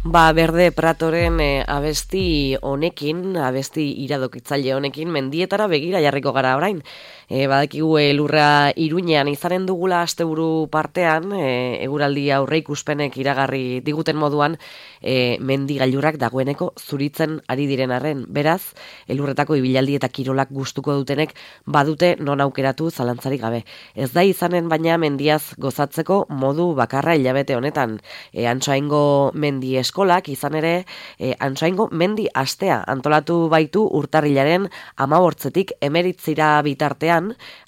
Berde Pratoren abesti honekin, abesti iradokitzaile honekin, mendietara begira jarriko gara orain. Badakigu elurra Iruñean izanen dugula asteburu partean, eguraldi aurreikuspenek iragarri diguten moduan, mendi gailurrak dagoeneko zuritzen ari diren arren. Beraz, elurretako ibilaldi eta kirolak gustuko dutenek badute non aukeratu zalantzarik gabe. Ez da izanen baina mendiaz gozatzeko modu bakarra hilabete honetan. Antsoaingo mendi eskolak izan ere Antsoaingo mendi astea antolatu baitu urtarrilaren 15 emeritzira bitartean,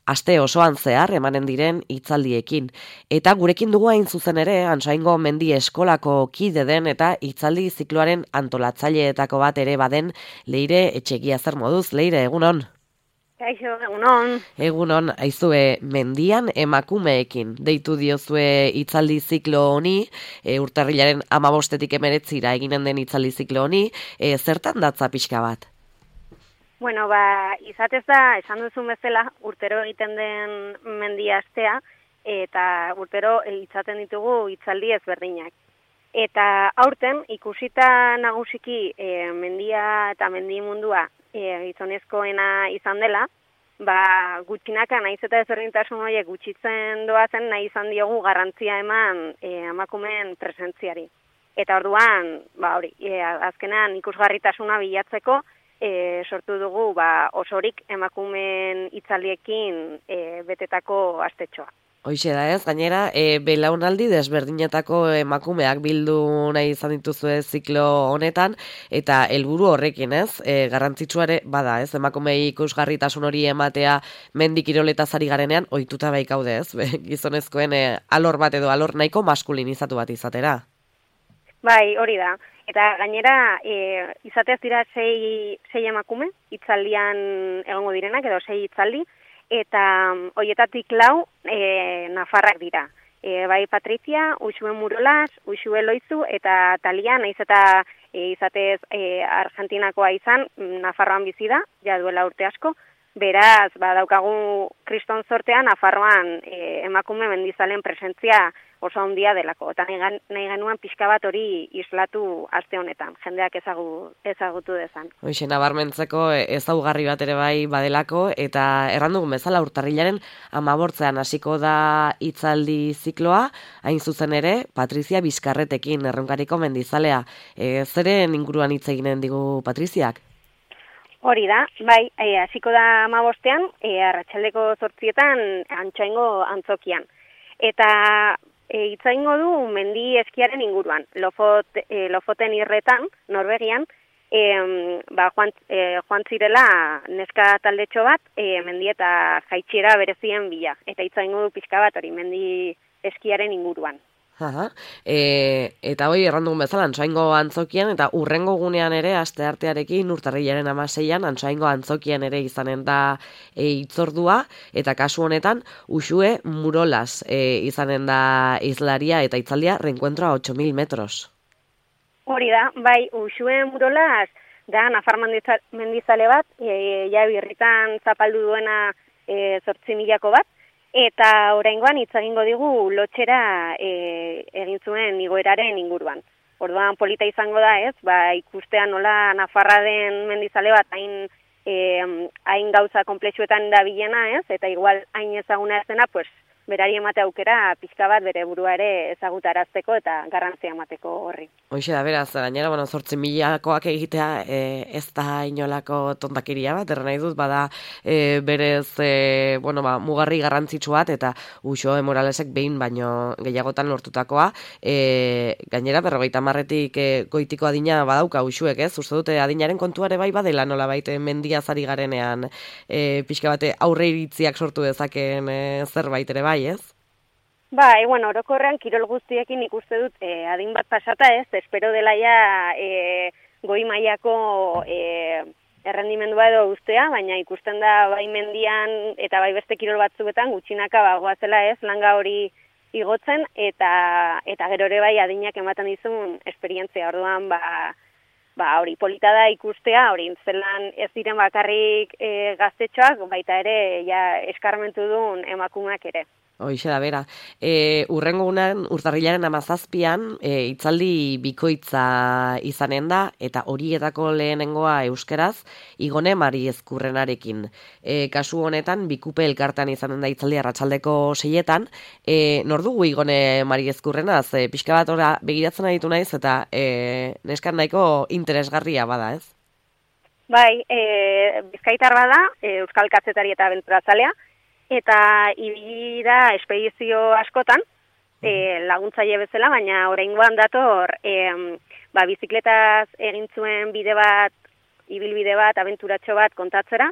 aste osoan zehar emanen diren hitzaldiekin. Eta gurekin dugu hain zuzen ere Antsoaingo mendi eskolako kide den eta hitzaldi zikloaren antolatzaileetako bat ere baden Leire Etxegia. Zer moduz, Leire, egunon? Kaixo, egunon. Egunon, aizue mendian emakumeekin deitu diozue hitzaldi ziklo honi, urtarrilaren 15 emeretzira eginen den hitzaldi ziklo honi, zertan datza pixka bat? Bueno, izatez da, esan duzun bezala, urtero egiten den mendia astea, eta urtero izaten ditugu hitzaldi ezberdinak. Eta aurten, ikusita nagusiki mendia eta mendi mundua gizonezkoena izan dela, gutxinaka naiz eta ezberdintasun horiek gutxitzen doazen nahi izan diogu garrantzia eman emakumeen presentziari. Eta orduan, azkenean ikusgarritasuna bilatzeko sortu dugu osorik emakumeen hitzaldiekin betetako astetxoa. Hoixe da ez, gainera, belaunaldi desberdinetako emakumeak bildu nahi izan dituzue ziklo honetan, eta helburu horrekin ez, garrantzitsuare bada ez, emakumei ikusgarritasun hori ematea mendi kiroletaz ari garenean, ohituta baikaude ez, gizonezkoen alor bat edo alor nahiko maskulinizatu bat izatera. Bai, hori da. Eta gainera, izatez dira sei emakume, hitzaldian egongo direnak, edo 6 hitzaldi, eta horietatik 4 nafarrak dira. Bai Patrizia, Uxue Murolas, Uxue Loizu, eta Talia, naiz eta izatez Argentinakoa izan, Nafarroan bizi da, ja duela urte asko. Beraz, daukagu kriston sortean, Nafarroan emakume mendizalen presentzia oso handia delako. Eta nahi genuen pixka bat hori islatu aste honetan, jendeak ezagutu dezan. Hoxe, nabarmentzeko ezaugarri bat ere bai badelako, eta errandugun bezala urtarrilaren 15 hasiko da hitzaldi zikloa, hain zuzen ere, Patrizia Bizkarretekin, erronkariko mendizalea. Zeren inguruan hitz eginen digu Patriziak? Hori da, hasiko da 15ean, arratsaldeko 8etan Antsoaingo antzokian. Eta hitz egingo du mendi eskiaren inguruan, Lofoten irretan, Norvegian, joan zirela neska taldetxo bat, mendi eta jaitsiera berezien bila. Eta hitz egingo du pixka bat hori mendi eskiaren inguruan. Eta hoi errandugun bezala Antsoaingo antzokian eta urrengo gunean ere asteartearekin urtarrilaren 16an Antsoaingo antzokian ere izanen da hitzordua, eta kasu honetan Uxue Murolas izanen da hizlaria eta hitzaldia Reencuentro a 8000 metros. Hori da, Uxue Murolas da nafar mendizale bat, birritan zapaldu duena 8.000ko bat, eta oraingoan hitz egingo digu lotxera egin zuen igoeraren inguruan. Orduan polita izango da ez, ikustea nola Nafarra den mendizale bat hain gauza konplexuetan dabilena ez, eta igual hain ezaguna ez dena, berari emate aukera pixka bat bere burua ere ezagutarazteko eta garrantzia emateko horri. Hoixe da, beraz, gainera, 8.000koak egitea ez da inolako tontakeria bat, erran nahi dut, bada berez, mugarri garrantzitsu bat, eta Uxue Moralesek behin baino gehiagotan lortutakoa, gainera, 50etik goitiko adina badauka Uxuek, ez? Uste dute adinaren kontuare bai badela nola baite mendiazari garenean pixka bate aurre iritziak sortu dezakeen zerbait ere bai, ez? Orokorrean kirol guztiekin ikuste dut adin bat pasata ez, espero dela ja goi mailako errendimendua edo ustea, baina ikusten da bai mendian eta bai beste kirol batzuetan gutxinaka goazela ez, langa hori igotzen eta gero ere bai adinak ematen dizun esperientzia. Orduan hori polita da ikustea, hori zelan ez diren bakarrik gaztetxoak, baita ere ja eskarmentu duen emakumeak ere. Hoixe da bera. Urrengo unan, urtarrilaren 17an, itzaldi bikoitza izanen da, eta horietako lehenengoa euskeraz, Igone Mari Ezkurrenarekin. Kasu honetan, Bikupe elkartean izanen da itzaldi arratsaldeko 6etan. Nor dugu Igone Mari Ezkurrenaz? Pixka bat ora begiratzen aditu naiz, eta neskan nahiko interesgarria bada, ez? Bai, bizkaitar bada, euskal kazetari eta abenturazalea, eta ibili da espedizio askotan, laguntzaile bezala, baina oraingoan dator, bizikletaz egin zuen ibilbide bat, abenturatxo bat kontatzera,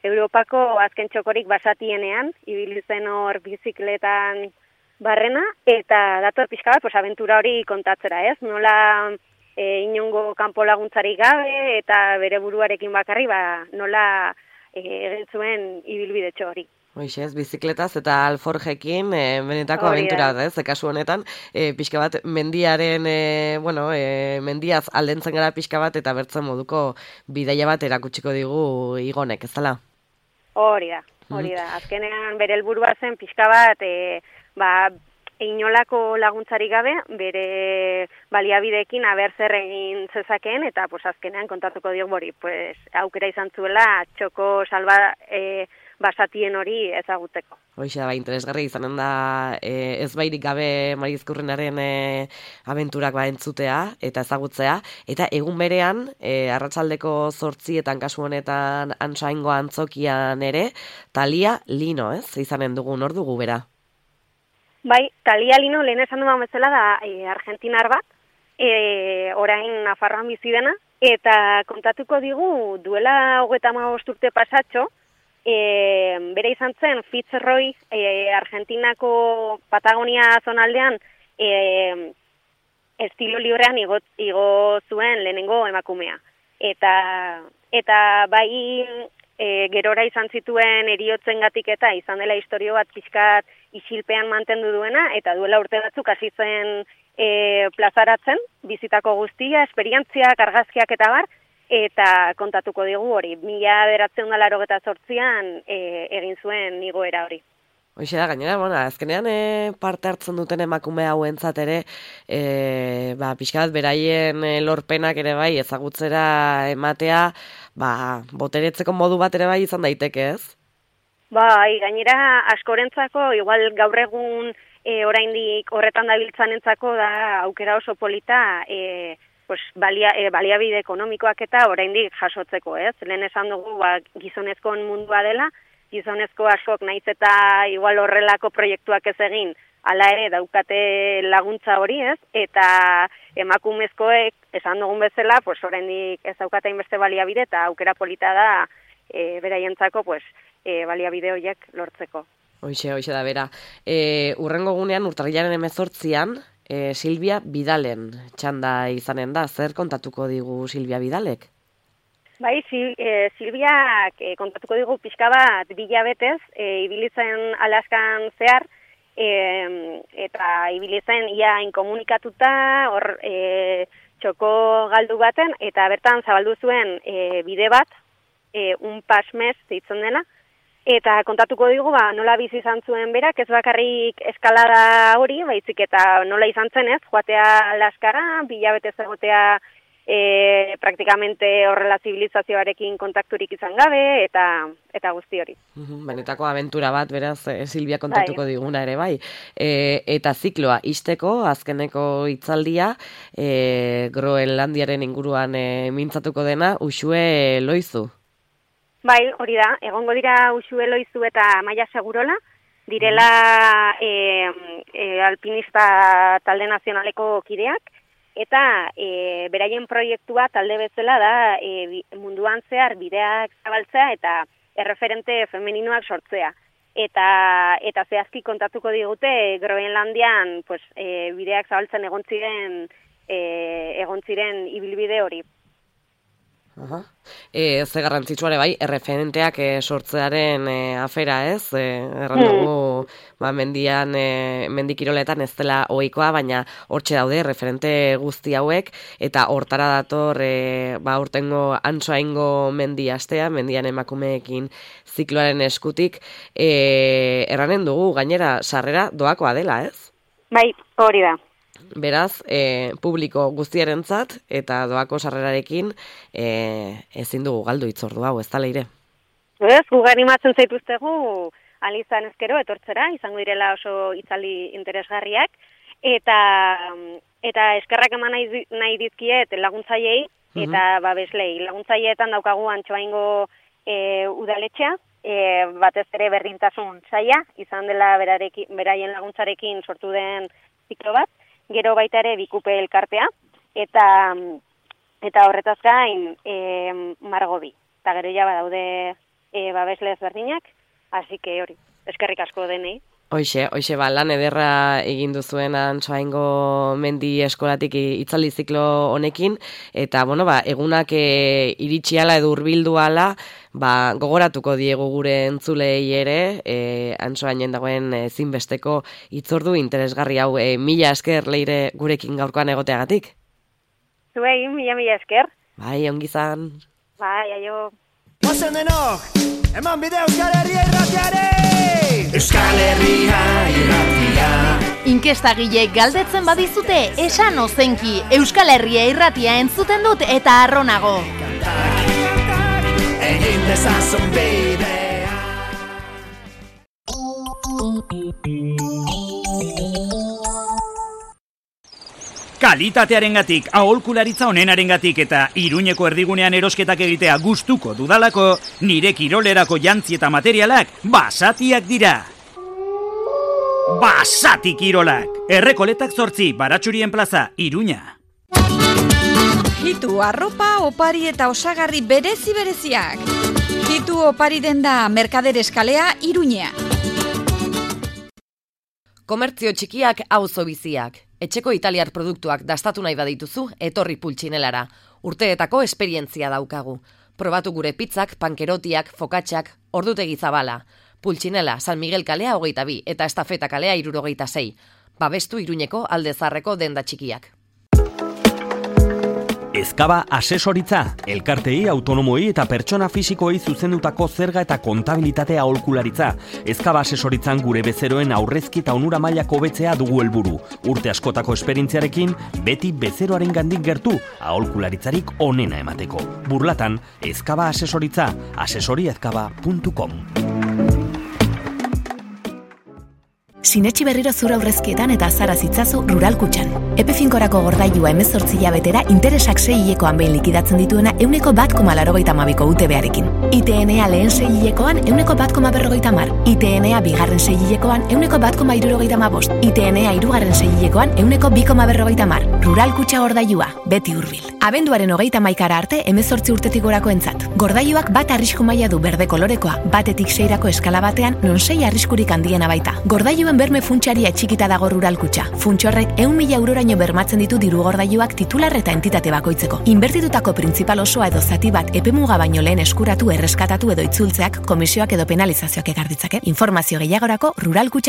Europako azken txokorik basatienean, ibili zen hor bizikletan barrena, eta dator pixka bat, abentura hori kontatzera, ez? Nola inongo kanpo laguntzarik gabe, eta bere buruarekin bakarri, nola egin zuen ibilbidetxo hori. Hoixe, ez, bizikletaz eta alforjekin benetako abentura da, ez, kasu honetan, pixka bat mendiaren, mendiaz aldentzen gara pixka bat eta bertzen moduko bidaia bat erakutsiko digu Igonek, ez dela? Hori da. Azkenean bere helburua zen pixka bat, inolako laguntzarik gabe, bere baliabideekin aber zer egin zezakeen, eta azkenean kontatuko diok hori, aukera izan zuela txoko basatien hori ezagutzeko. Hoixe da, interesgarri izanen da ez bairik gabe Mari Ezkurrenaren abenturak entzutea eta ezagutzea, eta egun berean, arratsaldeko 8etan kasu honetan Antxaingo antzokian ere, Talia Lino, ez? Izanen dugu, nor dugu bera? Bai, Talia Lino lehen esan duan bezala da argentinar bat, orain Nafarroan bizi dena, eta kontatuko digu duela 35 urte pasatxo, bere izan zen Fitzroy, Argentinako Patagonia zonaldean, estilo librean igo zuen lehenengo emakumea. Eta bai gerora izan zituen eriotzengatik eta izan dela historio bat pixkat isilpean mantendu duena, eta duela urte batzuk hasi zen plazaratzen, bizitako guztia, esperientziak, argazkiak eta bar, eta kontatuko digu hori, 1988an egin zuen igoera hori. Hoixe da, gainera, azkenean parte hartzen duten emakume hauentzat ere, pixka bat beraien lorpenak ere bai ezagutzera ematea, boteretzeko modu bat ere bai izan daiteke, ez? Bai, gainera askorentzako, igual gaur egun oraindik horretan dabiltzanentzako da aukera oso polita, baliabide ekonomikoak eta oraindik jasotzeko, ez? Lehen esan dugu gizonezkoen mundua dela, gizonezko askok naiz eta igual horrelako proiektuak ez egin, hala ere daukate laguntza hori, ez? Eta emakumezkoek esan dugun bezala, oraindik ez daukate inbeste baliabide eta aukera polita da beraientzako baliabide horiek lortzeko. Hoixe da bera. Urrengo gunean, urtarrilaren 18an, Silvia Bidalen txanda izanen da. Zer kontatuko digu Silvia Bidalek? Bai, Silviak kontatuko digu pixka bat bilabetez, ibili zen Alaskan zehar, eta ibili zen ia inkomunikatuta, hor txoko galdu baten, eta bertan zabaldu zuen bide bat, un pasmez deitzen dela, eta kontatuko digu nola bizi izan zuen berak, ez bakarrik eskalada hori, baizik eta nola izan zen ez, joatea Alaskara, bilabetez egotea praktikamente horrela zibilizazioarekin kontakturik izan gabe, eta guzti hori. Benetako abentura bat, beraz, Silvia kontatuko diguna ere bai. Eta zikloa isteko, azkeneko hitzaldia, Groenlandiaren inguruan mintzatuko dena, Uxue Loizu. Bai, hori da, egongo dira Uxue Loizu eta Maia Segurola, direla alpinista talde nazionaleko kideak, eta beraien proiektua talde bezala da munduan zehar bideak zabaltzea eta erreferente femeninoak sortzea. Eta zehazki kontatuko digute Groenlandian bideak zabaltzen egon ziren ibilbide hori. Ze garrantzitsua ere bai, erreferenteak sortzearen afera, ez? Erran dugu, mendikiroletan ez dela ohikoa, baina hortxe daude referente guzti hauek, eta hortara dator urtengo Antsoaingo mendi astea, mendian emakumeekin zikloaren eskutik, erranen dugu, gainera, sarrera doakoa dela, ez? Bai, hori da. Beraz, publiko guztiarentzat eta doako sarrerarekin ezin dugu galdu hitzordu hau, ez da leire? Ez, gugari matzen zaituztegu, alizan ezkero, etortzera, izango direla oso hitzaldi interesgarriak, eta eskerrak eman nahi dizkiet laguntzaileei, eta babeslei. Laguntzaileetan daukagu Antsoaingo udaletxea, batez ere berdintasun saila, izan dela beraien laguntzarekin sortu den ziklo bat, gero baita ere Bikupe elkartea, eta horretaz gain Margobi. Eta gero ja badaude babesle ezberdinak, así que hori, eskerrik asko denei. Hoixe, lan ederra egin duzuen Antsoaingo mendi eskolatik hitzaldi ziklo honekin, eta egunak iritsi ala edo hurbildu ala, gogoratuko diegu gure entzulei ere, Antsoainen dagoen ezinbesteko hitzordu interesgarri hau. Mila esker leire gurekin gaurkoan egoteagatik. Zuei, mila esker. Bai, ongizan. Bai, aio. Ozen denok, eman bide Euskal Herria irratiare! Euskal Herria irratia. Inkestagileek galdetzen badizute, esan ozenki, Euskal Herria irratia entzuten dut eta arronago. Egin dezazun bidea. Kalitatearengatik, aholkularitza onenarengatik eta Iruñeko erdigunean erosketak egitea gustuko dudalako, nire kirolerako jantzi eta materialak Basatiak dira. Basati Kirolak, Errekoletak 8, Baratxurien plaza, Iruña. Hitu arropa, opari eta osagarri bereziak. Hitu opari denda Merkader eskalea, Iruña. Komertzio txikiak auzo biziak. Etxeko italiar produktuak dastatu nahi badituzu, etorri Pultxinelara. Urteetako esperientzia daukagu. Probatu gure pizzak, pankerotiak, fokatxak, ordutegi zabala. Pultxinela, San Miguel kalea 22 eta Estafeta kalea 76. Babestu Iruñeko Alde Zaharreko denda txikiak. Ezkaba asesoritza, elkartei, autonomoei eta pertsona fisikoei zuzendutako zerga eta kontabilitatea aholkularitza. Ezkaba asesoritzan gure bezeroen aurrezki eta onura mailako hobetzea dugu helburu. Urte askotako esperientziarekin, beti bezeroaren gandik gertu, aholkularitzarik onena emateko. Burlatan, Ezkaba asesoritza, asesoriezkaba.com. Sinetxi berriro zura aurrezkietan eta azara zitzazu Rural Kutxan. Epe finkorako gordailua 18 hilabetera interesak 6 hilekoan behin likidatzen dituena 1,82ko UTB-arekin. ITNA lehen 6 hilekoan 1,150. ITNA bigarren 6 hilekoan 1,175. ITNA hirugarren 6 hilekoan 1,250. Rural Kutxa gordailua, beti hurbil. Abenduaren 31 arte 18 urtetik gorako entzat. Gordailuak bat arrisku maila du berde kolorekoa, batetik 6rako eskala batean non 6 arriskurik handiena baita. Gordailuen berme funtsaria txikita dago Rural Kutxa. Funtsorrek 100.000 euroraino bermatzen ditu diru gordailuak titular eta entitate bakoitzeko. Inbertitutako printzipal osoa edo zati bat epemuga baino lehen eskuratu, erreskatatu edo itzultzeak, komisioak edo penalizazioak ekar ditzake. Informazio gehiagorako Rural Kutxa